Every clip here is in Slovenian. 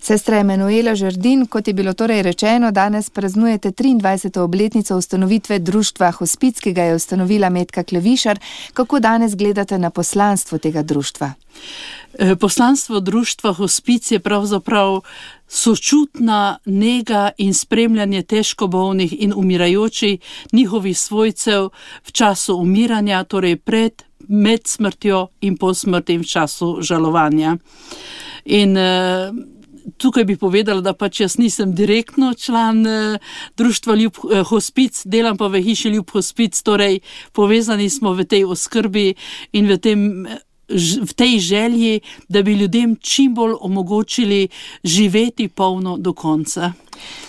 Sestra Emanuela Žerdin, kot je bilo torej rečeno, danes praznujete 23. obletnico ustanovitve društva Hospic, ki ga je ustanovila Metka Klevišar. Kako danes gledate na poslanstvo tega društva? Poslanstvo društva Hospic je pravzaprav sočutna nega in spremljanje težko bolnih in umirajočih njihovih svojcev v času umiranja, torej med smrtjo in po smrti v času žalovanja. In tukaj bi povedala, da pač jaz nisem direktno član društva Ljub Hospic, delam pa v hiši Ljub Hospic, torej povezani smo v tej oskrbi in v tej želji, da bi ljudem čim bolj omogočili živeti polno do konca.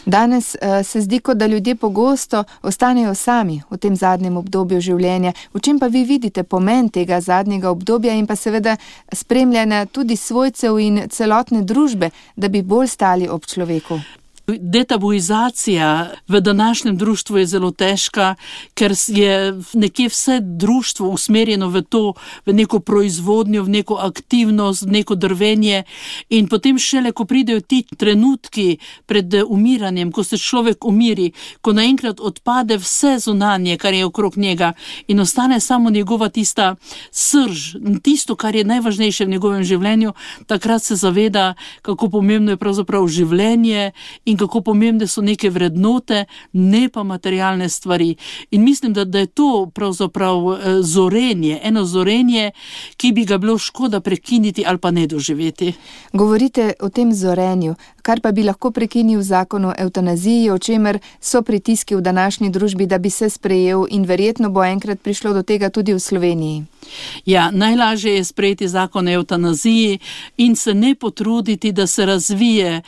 Danes se zdi, kot da ljudje pogosto ostanejo sami v tem zadnjem obdobju življenja. V čem pa vi vidite pomen tega zadnjega obdobja in pa seveda spremljanja tudi svojcev in celotne družbe, da bi bolj stali ob človeku? Detabuizacija v današnjem društvu je zelo težka, ker je nekje vse društvo usmerjeno v to, v neko proizvodnjo, v neko aktivnost, v neko drvenje in potem šele, ko pridejo ti trenutki pred umiranjem, ko se človek umiri, ko naenkrat odpade vse zunanje, kar je okrog njega in ostane samo njegova tista srž, tisto, kar je najvažnejše v njegovem življenju, takrat se zaveda, kako pomembno je pravzaprav življenje in kako pomembne so neke vrednote, ne pa materialne stvari. In mislim, da je to pravzaprav zorenje, eno zorenje, ki bi ga bilo škoda prekiniti ali pa ne doživeti. Govorite o tem zorenju, kar pa bi lahko prekinil zakon o evtanaziji, o čemer so pritiski v današnji družbi, da bi se sprejel in verjetno bo enkrat prišlo do tega tudi v Sloveniji. Ja, najlažje je sprejeti zakon o evtanaziji in se ne potruditi, da se razvije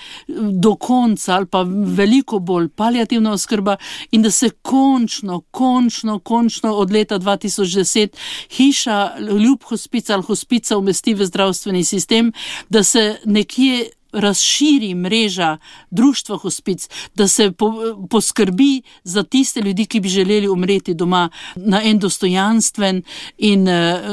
do konca ali pa veliko bolj paliativna oskrba in da se končno od leta 2010 hiša Ljub Hospic ali Hospica umesti v zdravstveni sistem, da se nekje razširi mreža društva Hospic, da se poskrbi za tiste ljudi, ki bi želeli umreti doma na en dostojanstven in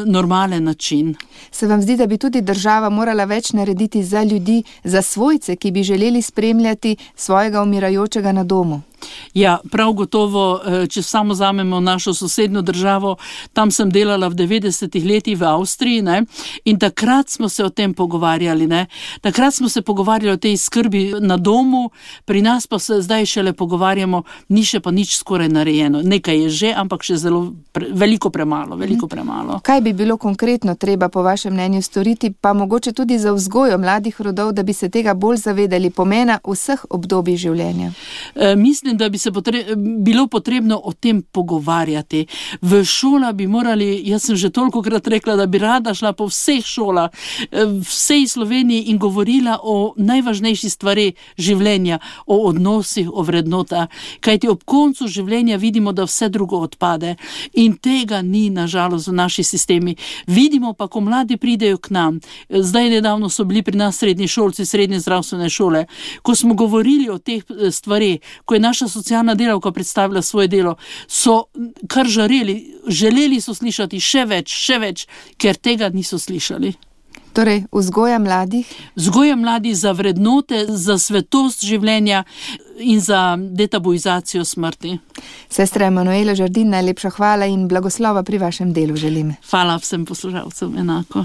normalen način. Se vam zdi, da bi tudi država morala več narediti za ljudi, za svojce, ki bi želeli spremljati svojega umirajočega na domu? Ja, prav gotovo, če samo vzamemo našo sosednjo državo, tam sem delala v 90. letih v Avstriji, ne, in takrat smo se o tem pogovarjali, ne. Takrat smo se pogovarjali o tej skrbi na domu, pri nas pa se zdaj šele pogovarjamo, ni še pa nič skoraj narejeno. Nekaj je že, ampak še veliko premalo. Kaj bi bilo konkretno treba po vašem mnenju storiti, pa mogoče tudi za vzgojo mladih rodov, da bi se tega bolj zavedali pomena vseh obdobij življenja? Mislim, da bi se bilo potrebno o tem pogovarjati. V šola bi morali, jaz sem že tolikokrat rekla, da bi rada šla po vseh šolah, vsej Sloveniji in govorila o najvažnejši stvari življenja, o odnosih, o vrednotah. Kajti ob koncu življenja vidimo, da vse drugo odpade in tega ni nažalost v naši sistemi. Vidimo pa, ko mladi pridejo k nam, zdaj nedavno so bili pri nas srednji šolci, srednje zdravstvene šole, ko smo govorili o teh stvareh, ko je naša socialna delavka predstavila svoje delo, so kar želeli so slišati še več, ker tega niso slišali. Torej, vzgoja mladih? Vzgoja mladih za vrednote, za svetost življenja in za detabuizacijo smrti. Sestra Emanuela Žerdin, najlepša hvala in blagoslova pri vašem delu želim. Hvala vsem poslušalcem enako.